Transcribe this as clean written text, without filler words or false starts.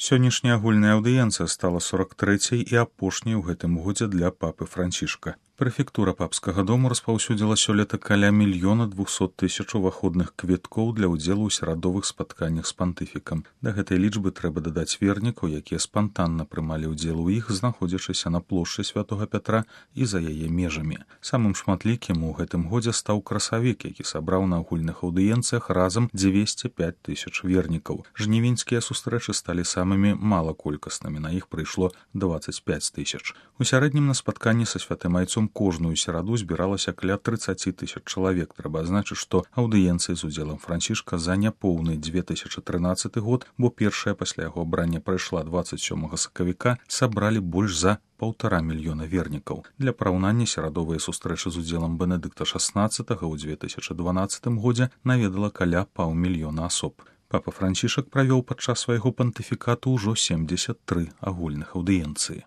Сённяшняя агульная аўдыенцыя стала 43-й і апошняй у гэтым годзе для папы Францішка. Прэфектура папскага дому распаўсюдзіла сёлета каля 1 200 000 уваходных квіткоў для ўдзелу ў серадовых спатканнях з пантыфікам. Да гэтай лічбы трэба дадаць вернікаў, якія спантанна прымалі ўдзел у іх, знаходзячыся на плошчы Святога Пятра і за яе межамі. Самым шматлікім у гэтым годзе стаў красавік, які сабраў на агульных аўдыенцыях разам 205 000 вернікаў. Жнівеньскія сустрэчы сталі самымі малаколькаснымі, на іх прыйшло 25 000. У сярэднім на спатканні са святым айцом кожную сераду збіралася каля 30 000 чалавек. Трэба адзначыць, што аўдыенцыі з удзелам Францішка за няпоўны 2013 год, бо першая пасля яго абрання прайшла 27 сакавіка, сабралі больш за 1,5 мільёна вернікаў. Для параўнання серадовыя сустрэчы з удзелам Бенедыкта XVI ў 2012 годзе наведала каля 500 000 асоб. Папа Францішак правёў падчас свайго пантыфікату ўжо 73 агульных аўдыенцыі.